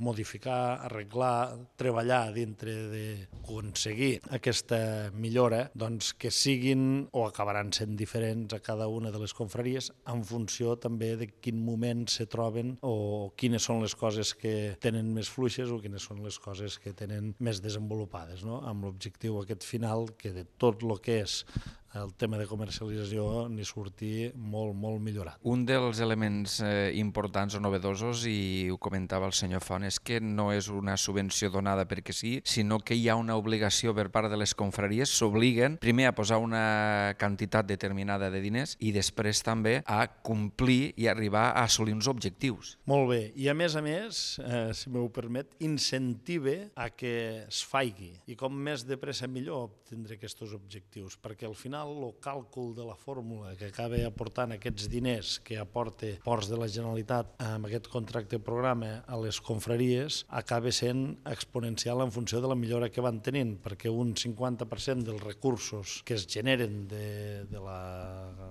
modificar, arreglar, treballar dintre d'aconseguir aquesta millora, doncs que siguin o acabaran sent diferents a cada una de les confraries en funció també de quin moment se troben o quines són les coses que tenen més fluixes o quines són les coses que tenen més desenvolupades, no? Amb l'objectiu aquest final que de tot el que és el tema de comercialització n'hi surti molt, molt millorat. Un dels elements eh, importants o novedosos, i ho comentava el senyor Font, és que no és una subvenció donada perquè sí, sinó que hi ha una obligació per part de les confraries, s'obliguen primer a posar una quantitat determinada de diners i després també a complir i arribar a assolir uns objectius. Molt bé, i a més a més, eh, si m'ho permet, incentive a que es faigui i com més de pressa millor obtindre aquests objectius, perquè al final el càlcul de la fórmula que acaba aportant aquests diners que aporta Ports de la Generalitat amb aquest contracte programa a les confraries acaba sent exponencial en funció de la millora que van tenint, perquè un cinquanta per cent dels recursos que es generen de, de, la,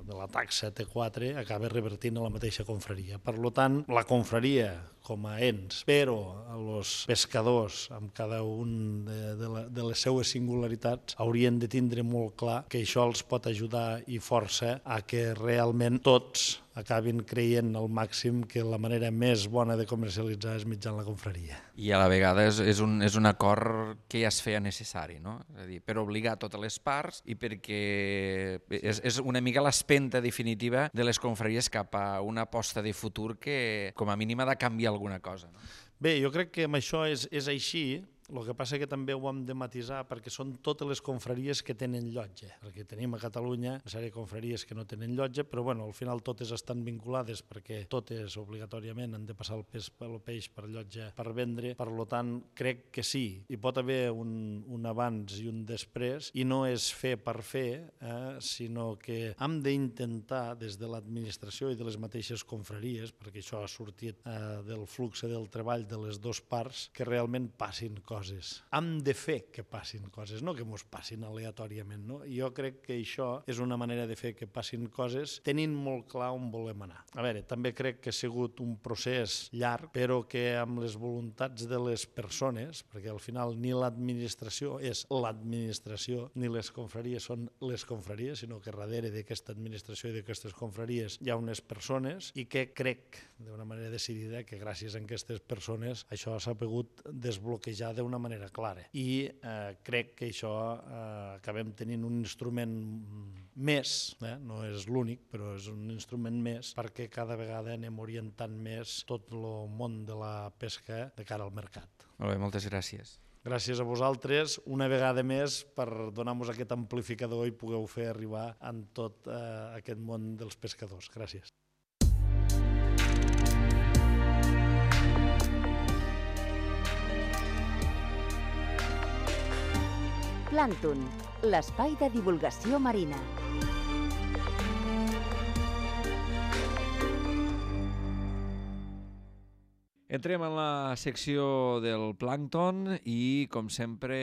de la taxa T quatre acaba revertint a la mateixa confraria. Per tant, la confraria com a ens, però els pescadors, amb cada un de, de, la, de les seues singularitats, haurien de tindre molt clar que això els pot ajudar i força a que realment tots acabin creient al màxim que la manera més bona de comercialitzar és mitjançant la confraria. I a la vegada és, és, un, és un acord que ja es feia necessari, no? És a dir, per obligar totes les parts i perquè és, és una mica l'espenta definitiva de les confraries cap a una aposta de futur que com a mínim ha de canviar alguna cosa. No? Bé, jo crec que amb això és, és així. El que passa que també ho hem de matisar perquè són totes les confraries que tenen llotja, perquè tenim a Catalunya una sèrie de confraries que no tenen llotja, però bueno, al final totes estan vinculades perquè totes obligatòriament han de passar el peix, el peix per llotja per vendre, per tant crec que sí, hi pot haver un, un abans i un després i no és fer per fer, eh, sinó que hem d'intentar des de l'administració i de les mateixes confraries, perquè això ha sortit eh, del flux del treball de les dues parts, que realment passin coses. Coses. Hem de fer que passin coses, no que mos passin aleatòriament. No? Jo crec que això és una manera de fer que passin coses tenint molt clar on volem anar. A veure, també crec que ha sigut un procés llarg, però que amb les voluntats de les persones, perquè al final ni l'administració és l'administració, ni les confraries són les confraries, sinó que darrere d'aquesta administració i d'aquestes confraries hi ha unes persones i que crec d'una manera decidida que gràcies a aquestes persones això s'ha pogut desbloquejar d'una d'una manera clara. I eh, crec que això eh, acabem tenint un instrument més, eh? no és l'únic, però és un instrument més perquè cada vegada anem orientant més tot el món de la pesca de cara al mercat. Molt bé, moltes gràcies. Gràcies a vosaltres, una vegada més, per donar-nos aquest amplificador i pugueu fer arribar en tot eh, aquest món dels pescadors. Gràcies. Plàncton, l'espai de divulgació marina. Entrem en la secció del plàncton i, com sempre,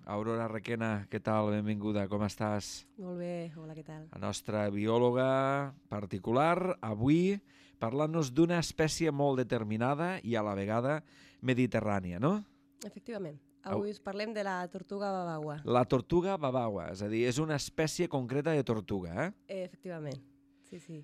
Aurora Requena, què tal? Benvinguda, com estàs? Molt bé, hola, què tal? La nostra biòloga particular, avui parlant-nos d'una espècie molt determinada i a la vegada mediterrània, no? Efectivament. Avui us parlem de la tortuga babagua. La tortuga babagua, és a dir, és una espècie concreta de tortuga, eh? Efectivament, sí, sí.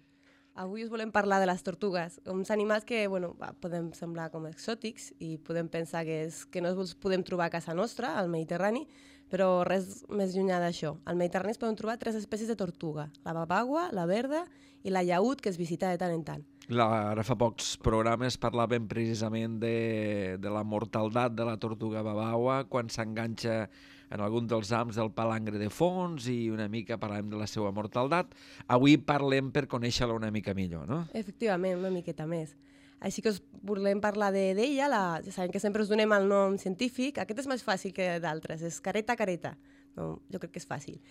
Avui us volem parlar de les tortugues, uns animals que bueno, podem semblar com exòtics i podem pensar que, és, que no els podem trobar a casa nostra, al Mediterrani, però res més llunyà d'això. Al Mediterrani es poden trobar tres espècies de tortuga, la babagua, la verda i la llaüt, que es visita de tant en tant. La, ara fa pocs programes parlàvem precisament de, de la mortaldat de la tortuga babaua quan s'enganxa en algun dels ams del palangre de fons i una mica parlem de la seva mortaldat. Avui parlem per conèixer-la una mica millor, no? Efectivament, una miqueta més. Així que us volem parlar d'ella, la, ja sabem que sempre us donem el nom científic, aquest és més fàcil que d'altres, és careta careta, no, jo crec que és fàcil.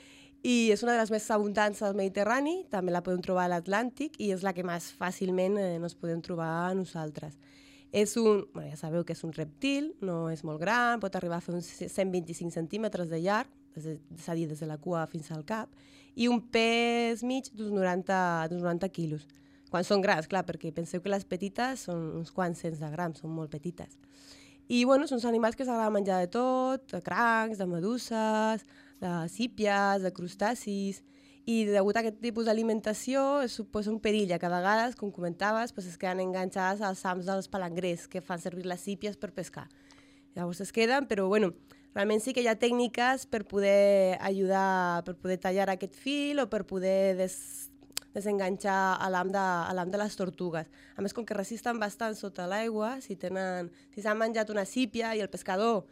I és una de les més abundants al Mediterrani, també la podem trobar a l'Atlàntic i és la que més fàcilment eh, nos podem trobar a nosaltres. És un, bueno, ja sabeu que és un reptil, no és molt gran, pot arribar a fer uns cent vint-i-cinc centímetres de llarg, és a dir, des de la cua fins al cap, i un pes mig d'uns noranta, noranta quilos. Quan són grans, clar, perquè penseu que les petites són uns quants cents de grams, són molt petites. I, bueno, són animals que s'agrada menjar de tot, de crancs, de meduses, de sípies, de crustacis, i degut a aquest tipus d'alimentació suposa un perill, que a vegades, com comentaves, pues es queden enganxades als hams dels palangrers, que fan servir les sípies per pescar. Llavors es queden, però, bueno, realment sí que hi ha tècniques per poder ajudar, per poder tallar aquest fil o per poder des desenganxar a l'am de, de les tortugues. A més, com que resisten bastant sota l'aigua, si tenen, si s'han menjat una sípia i el pescador,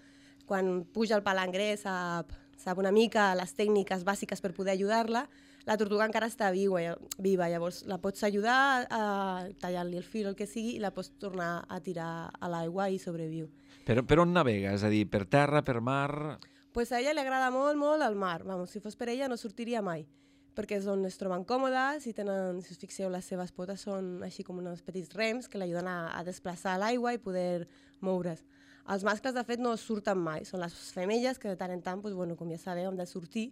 quan puja el palangrer, sap, sap una mica les tècniques bàsiques per poder ajudar-la, la tortuga encara està viva, viva, llavors la pots ajudar a tallar-li el fil o el que sigui i la pots tornar a tirar a l'aigua i sobreviu. Per, per on navega? És a dir, per terra, per mar? Pues a ella li agrada molt, molt el mar. Vamos, si fos per ella no sortiria mai, perquè és on es troben còmodes i tenen, si us fixeu, les seves potes són així com uns petits rems que l'ajuden a, a desplaçar l'aigua i poder moure's. Els mascles, de fet, no surten mai, són les femelles que de tant en tant, doncs, bueno, com ja sabeu, han de sortir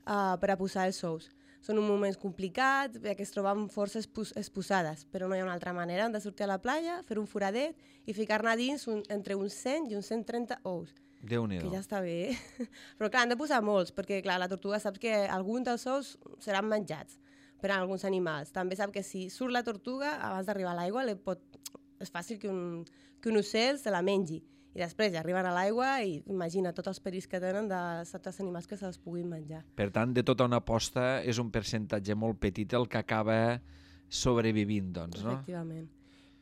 uh, per a posar els ous. Són un moment complicat, perquè es troben força exposades, però no hi ha una altra manera, han de sortir a la platja, fer un foradet i ficar-ne dins un, entre uns cent i uns cent trenta ous. Déu-n'hi-do. Que ja està bé. Però clar, han de posar molts, perquè clar, la tortuga sap que alguns dels ous seran menjats per a alguns animals. També sap que si surt la tortuga, abans d'arribar a l'aigua, pot... és fàcil que un, que un ocell se la mengi. I després ja arriben a l'aigua i imagina tots els perills que tenen dels altres animals que se'ls puguin menjar. Per tant, de tota una posta és un percentatge molt petit el que acaba sobrevivint, doncs, no? Efectivament.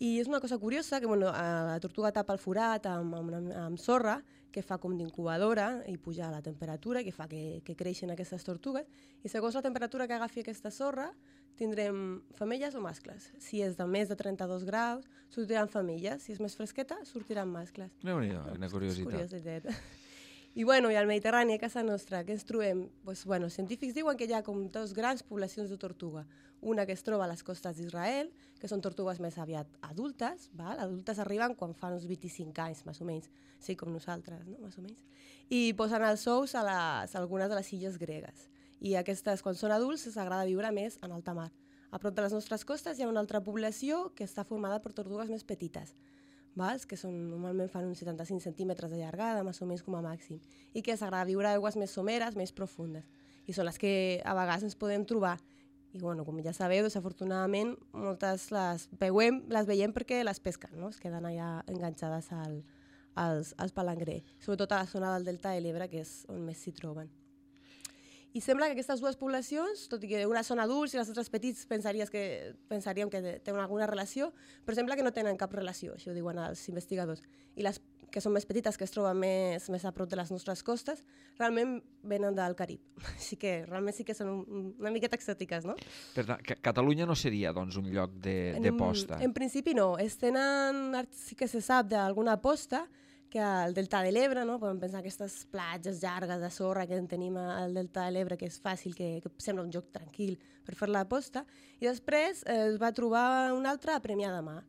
I és una cosa curiosa que bueno, la tortuga tapa el forat amb, amb, amb sorra, que fa com d'incubadora i puja la temperatura, que fa que, que creixen aquestes tortugues, i segons la temperatura que agafi aquesta sorra, tindrem femelles o mascles. Si és de més de trenta-dos graus, sortiran femelles. Si és més fresqueta, sortiran mascles. Déu-n'hi-do, una curiositat. Curiositat. I, bueno, i al Mediterrani, a casa nostra, què ens trobem? Pues, bueno, els científics diuen que hi ha com dos grans poblacions de tortuga. Una que es troba a les costes d'Israel, que són tortugues més aviat adultes, val? Adultes arriben quan fan uns vint-i-cinc anys, més o menys, sí, com nosaltres, no? Més o menys. I posen els ous a, les, a algunes de les illes gregues. I aquestes, quan són adults, s'agrada viure més en alta mar. A prop de les nostres costes hi ha una altra població que està formada per tortugues més petites, vals? Que són, normalment fan uns setanta-cinc centímetres de llargada, més o menys com a màxim, i que s'agrada viure a aigües més someres, més profundes. I són les que a vegades ens podem trobar. I, bueno, com ja sabeu, desafortunadament, moltes les veiem, les veiem perquè les pesquen, no? Es queden allà enganxades al, als, als palangrer, sobretot a la zona del Delta de l'Ebre, que és on més s'hi troben. I sembla que aquestes dues poblacions, tot i que una són adults i les altres petits pensaries que, pensaríem que tenen alguna relació, però sembla que no tenen cap relació, això ho diuen els investigadors. I les que són més petites, que es troben més, més a prop de les nostres costes, realment venen del Carib. Així que realment sí que són un, una miqueta exòtiques, no? Per tant, Catalunya no seria doncs, un lloc de, de posta? En, en principi no. Es tenen, sí que se sap d'alguna posta, que al Delta de l'Ebre, no? Podem pensar aquestes platges llargues de sorra que en tenim al Delta de l'Ebre, que és fàcil, que, que sembla un lloc tranquil per fer la posta, i després eh, es va trobar un altre a Premià de Mar,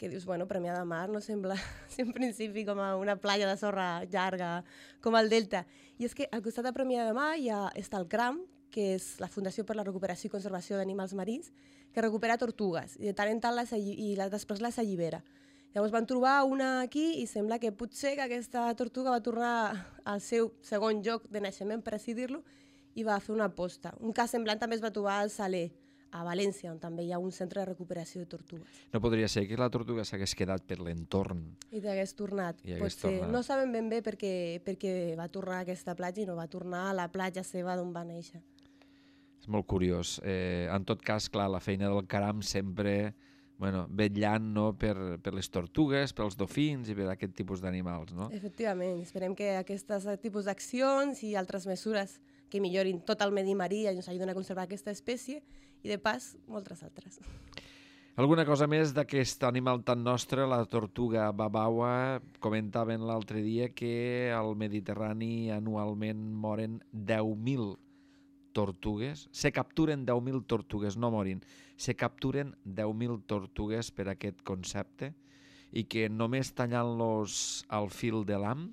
que dius, bueno, Premià de Mar no sembla, si en principi, com a una platja de sorra llarga com el Delta. I és que al costat de Premià de Mar ja està el CRAM, que és la Fundació per la Recuperació i Conservació d'Animals Marins, que recupera tortugues, i de tant en tant les, i la, després les allibera. Llavors van trobar una aquí i sembla que potser que aquesta tortuga va tornar al seu segon lloc de naixement, per així dir-lo, i va fer una posta. Un cas semblant també es va trobar al Saler, a València, on també hi ha un centre de recuperació de tortugues. No podria ser que la tortuga s'hagués quedat per l'entorn. I t'hagués tornat. I hagués Potser. tornat. No sabem ben bé per què, per què va tornar a aquesta platja i no va tornar a la platja seva d'on va néixer. És molt curiós. Eh, en tot cas, clar, la feina del caram sempre bueno, vetllant, no, per, per les tortugues, pels dofins i per aquest tipus d'animals, no? Efectivament, esperem que aquests tipus d'accions i altres mesures que millorin tot el medi marí i ens ajuden a conservar aquesta espècie i, de pas, moltes altres. Alguna cosa més d'aquest animal tan nostre, la tortuga babaua? Comentaven l'altre dia que al Mediterrani anualment moren deu mil tortugues. Se capturen deu mil tortugues, no morin. Se capturen deu mil tortugues per aquest concepte i que només tallant-los al fil de l'ham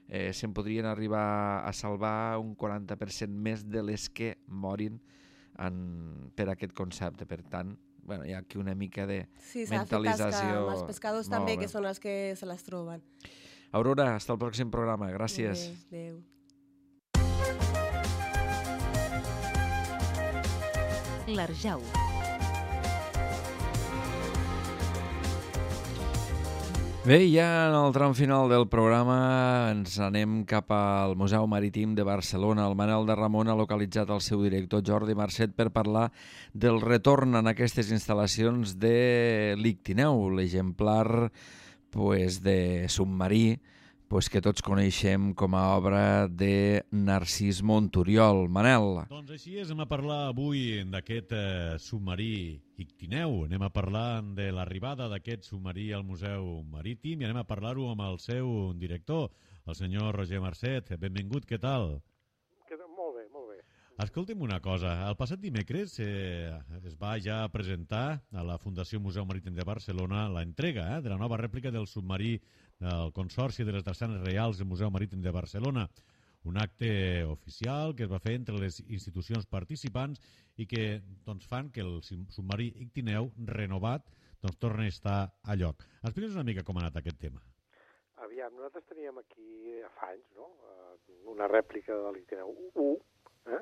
eh, se'n podrien arribar a salvar un quaranta per cent més de les que morin en, per aquest concepte. Per tant, bueno, hi ha aquí una mica de sí, mentalització. Sí, s'ha de fer tasca amb els pescadors també, que són els que se les troben. Aurora, hasta el pròxim programa. Gràcies. Adéu. L'Arjau. Bé, ja en el tram final del programa ens anem cap al Museu Marítim de Barcelona. El Manel de Ramon ha localitzat el seu director Jordi Marcet per parlar del retorn en aquestes instal·lacions de l'Ictineu, l'exemplar pues, de submarí pues, que tots coneixem com a obra de Narcís Monturiol. Manel. Doncs així és, anem a parlar avui d'aquest eh, submarí Ictineu. Anem a parlar de l'arribada d'aquest submarí al Museu Marítim i anem a parlar-ho amb el seu director, el senyor Roger Marcet. Benvingut, què tal? Molt bé, molt bé. Escolti'm una cosa, el passat dimecres eh, es va ja presentar a la Fundació Museu Marítim de Barcelona la entrega eh, de la nova rèplica del submarí del Consorci de les Drassanes Reials del Museu Marítim de Barcelona. Un acte oficial que es va fer entre les institucions participants i que doncs, fan que el submarí Ictineu renovat doncs, torni a estar a lloc. Explica'ns una mica com ha anat aquest tema. Aviam, nosaltres teníem aquí fa anys no? una rèplica de l'Ictineu u, eh?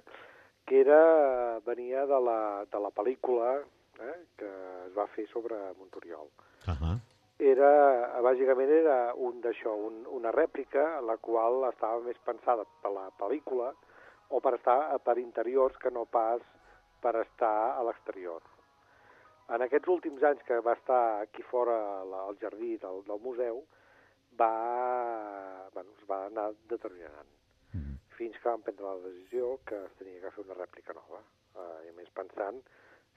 que era, venia de la, de la pel·lícula eh? que es va fer sobre Monturiol. Uh -huh. Era, bàsicament era un d'això, un, una rèplica la qual estava més pensada per la pel·lícula o per estar per interiors que no pas per estar a l'exterior. En aquests últims anys que va estar aquí fora al jardí del, del museu va, bueno, es va anar deteriorant mm. fins que vam prendre la decisió que es tenia que fer una rèplica nova uh, i a més pensant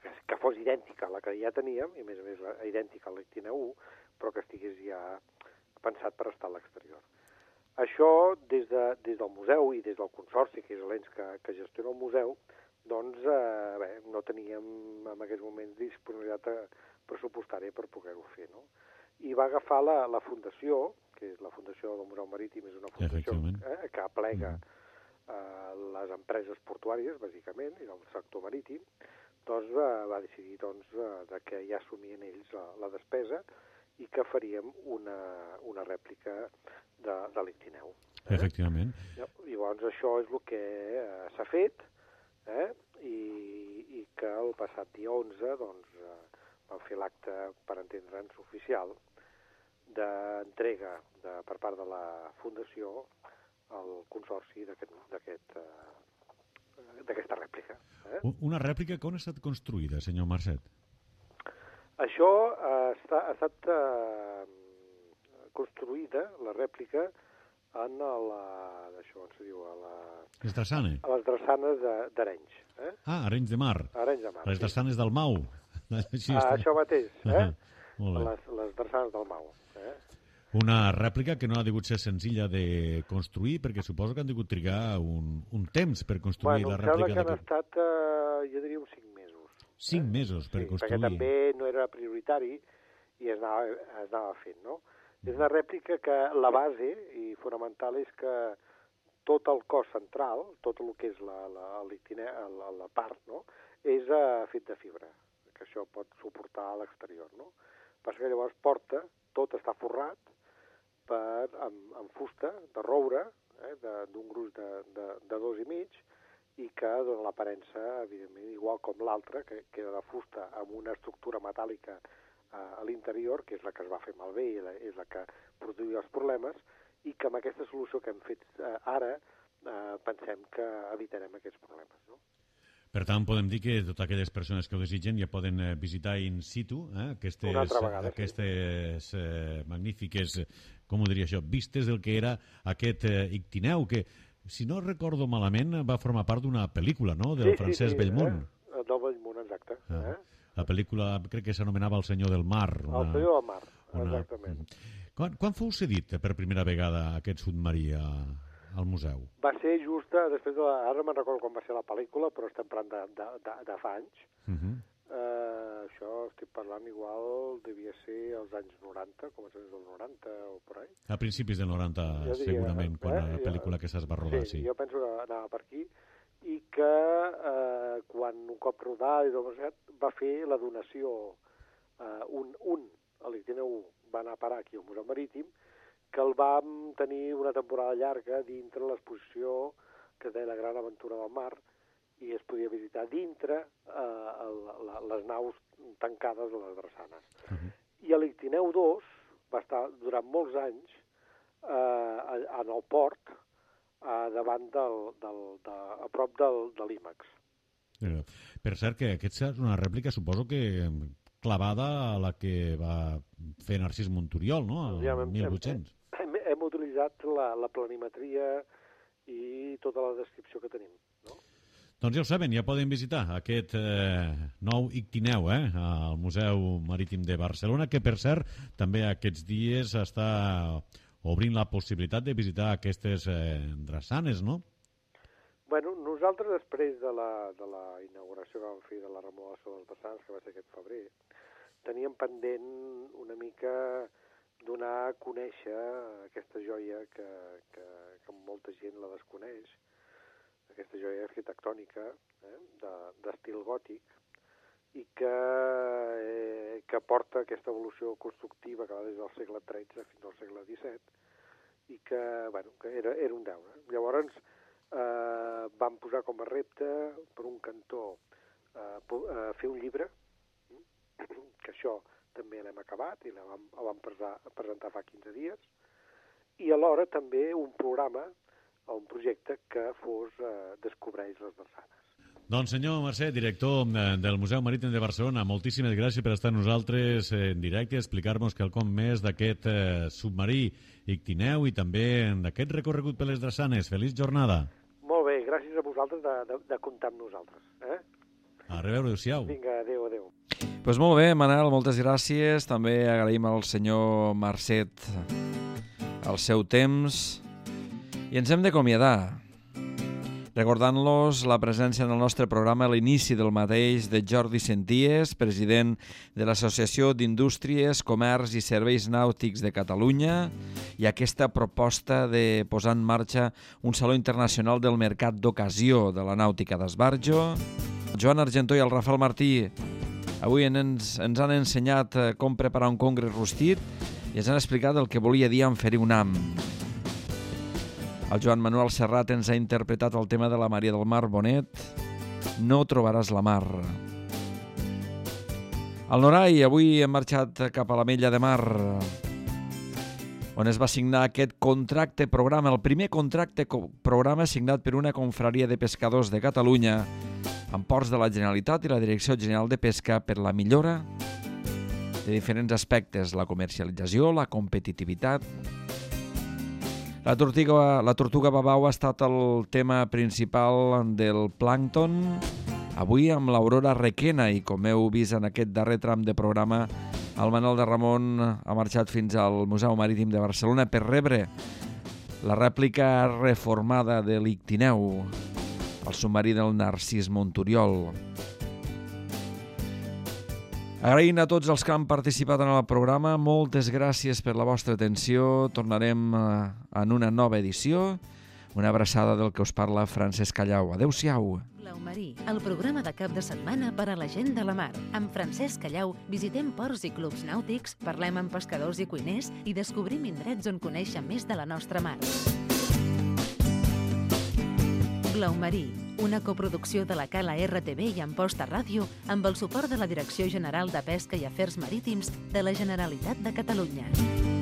que, que fos idèntica a la que ja teníem i a més a més idèntica a l'Ictineu u, però que estigués ja pensat per estar a l'exterior. Això, des, de, des del museu i des del Consorci, que és l'ens que, que gestiona el museu, doncs eh, bé, no teníem en aquests moments disponibilitat pressupostària per poder-ho fer, no? I va agafar la, la fundació, que és la Fundació del Museu Marítim, és una fundació eh, que aplega eh, les empreses portuàries, bàsicament, i del sector marítim, doncs va, va decidir doncs, de que ja assumien ells la, la despesa i que faríem una, una rèplica de, de l'Ictineu. Eh? Efectivament. Llavors això és el que eh, s'ha fet eh? I, i que el passat dia onze doncs, eh, vam fer l'acte, per entendre'ns, oficial d'entrega de, per part de la Fundació al Consorci d'aquesta aquest, rèplica. Eh? Una rèplica que on ha estat construïda, senyor Marcet? Això ha estat, ha estat eh, construïda, la rèplica, en la, això, on se diu, a la... Les drassanes? A les drassanes d'Arenys. Eh? Ah, Arenys de Mar. Arenys de Mar. Les drassanes sí. del Mau. Així ah, això mateix, eh? Uh -huh. les, les drassanes del Mau. Eh? Una rèplica que no ha degut ser senzilla de construir, perquè suposo que han degut trigar un, un temps per construir bueno, la rèplica. Bueno, em sembla que han estat, eh, jo diria, uns cinc mesos. Cinc eh? mesos per sí, construir. Perquè també no era prioritari i es anava, es anava fent, no? És una rèplica que la base i fonamental és que tot el cos central, tot el que és la, la, la, la part, no? és uh, fet de fibra, que això pot suportar a l'exterior, no? Passa que llavors porta, tot està forrat per, amb, amb fusta de roure, eh, d'un gruix de, de, de dos i mig, i que dona l'aparença, evidentment, igual com l'altra, que, que era de fusta amb una estructura metàl·lica a l'interior, que és la que es va fer malbé i la, és la que produïa els problemes, i que amb aquesta solució que hem fet eh, ara eh, pensem que evitarem aquests problemes. No? Per tant, podem dir que totes aquelles persones que ho desitgen ja poden visitar in situ eh, aquestes, vegada, aquestes sí. eh, magnífiques, com ho diria això, vistes del que era aquest eh, Ictineu, que, si no recordo malament, va formar part d'una pel·lícula, no?, del sí, Francesc sí, sí, Bellmunt. Eh? Del Bellmunt, exacte. Ah. Eh? La pel·lícula, crec que s'anomenava El senyor del mar. Una, El senyor del mar, una... exactament. Quan, quan fou cedit per primera vegada aquest submarí a... al museu? Va ser just després de la... Ara me'n recordo quan va ser la pel·lícula, però estem parlant de, de, de, de fa anys. Uh -huh. uh, això estic parlant igual, devia ser als anys noranta, començaments dels noranta o per ahí. A principis del noranta, diria, segurament, quan eh? la pel·lícula jo, que s'es va rodar, sí. Sí, jo penso que anava per aquí, i que eh, quan un cop rodat i tot va fer la donació, eh, un, un, a l'Ictineu un, va anar a parar aquí al Museu Marítim, que el vam tenir una temporada llarga dintre l'exposició que es deia La gran aventura del mar, i es podia visitar dintre eh, la, les naus tancades de les drassanes. Uh -huh. I l'Ictineu dos va estar durant molts anys eh, en el port, eh, davant del, del, de, a prop del, de l'I MAX. Eh, per cert, que aquesta és una rèplica, suposo que clavada a la que va fer Narcís Monturiol, no?, el ja, mil vuit-cents. Hem, hem, hem utilitzat la, la planimetria i tota la descripció que tenim, no? Doncs ja ho saben, ja poden visitar aquest eh, nou Ictineu eh, al Museu Marítim de Barcelona, que per cert també aquests dies està obrint la possibilitat de visitar aquestes eh, drassanes, no? Bueno, nosaltres després de la, de la inauguració que vam fer de la remodelació dels drassanes, que va ser aquest febrer, teníem pendent una mica donar a conèixer aquesta joia que, que, que molta gent la desconeix, aquesta joia arquitectònica eh, d'estil de, gòtic, i que, eh, que porta aquesta evolució constructiva que va des del segle tretze fins al segle disset, i que, bueno, que era, era un deure. Llavors eh, vam posar com a repte, per un cantó, eh, eh, fer un llibre, que això també l'hem acabat i el vam, el vam presentar fa quinze dies, i alhora també un programa, un projecte que fos eh, Descobreix les drassanes. Doncs senyor Mercè, director del Museu Marítim de Barcelona, moltíssimes gràcies per estar nosaltres en directe i explicar-nos quelcom més d'aquest eh, submarí Ictineu i també d'aquest recorregut per les drassanes. Feliç jornada. Molt bé, gràcies a vosaltres de, de, de comptar amb nosaltres. Eh? A reveure, adéu-siau. Vinga, adéu, adéu. Doncs pues molt bé, Manel, moltes gràcies. També agraïm al senyor Marcet el seu temps. I ens hem d'acomiadar, recordant-los la presència en el nostre programa a l'inici del mateix de Jordi Senties, president de l'Associació d'Indústries, Comerç i Serveis Nàutics de Catalunya, i aquesta proposta de posar en marxa un Saló Internacional del Mercat d'Ocasió de la Nàutica d'Esbarjo. El Joan Argentó i el Rafael Martí avui ens, ens han ensenyat com preparar un congre rostit i ens han explicat el que volia dir en fer-hi un am. El Joan Manuel Serrat ens ha interpretat el tema de la Maria del Mar Bonet, No trobaràs la mar. El Norai avui hem marxat cap a l'Ametlla de Mar, on es va signar aquest contracte programa, el primer contracte programa signat per una confraria de pescadors de Catalunya, amb ports de la Generalitat i la Direcció General de Pesca per la millora de diferents aspectes, la comercialització, la competitivitat. La tortuga, la tortuga babau ha estat el tema principal del plàncton, avui amb l'Aurora Requena, i com heu vist en aquest darrer tram de programa, el Manel de Ramon ha marxat fins al Museu Marítim de Barcelona per rebre la rèplica reformada de l'Ictineu, el submarí del Narcís Monturiol. Agraint a tots els que han participat en el programa, moltes gràcies per la vostra atenció. Tornarem en una nova edició. Una abraçada del que us parla Francesc Callau. Adéu-siau. Blau Marí, el programa de cap de setmana per a la gent de la mar. Amb Francesc Callau visitem ports i clubs nàutics, parlem amb pescadors i cuiners i descobrim indrets on conèixer més de la nostra mar. Blau Marí, una coproducció de la Cala R T V i Amposta Ràdio amb el suport de la Direcció General de Pesca i Afers Marítims de la Generalitat de Catalunya.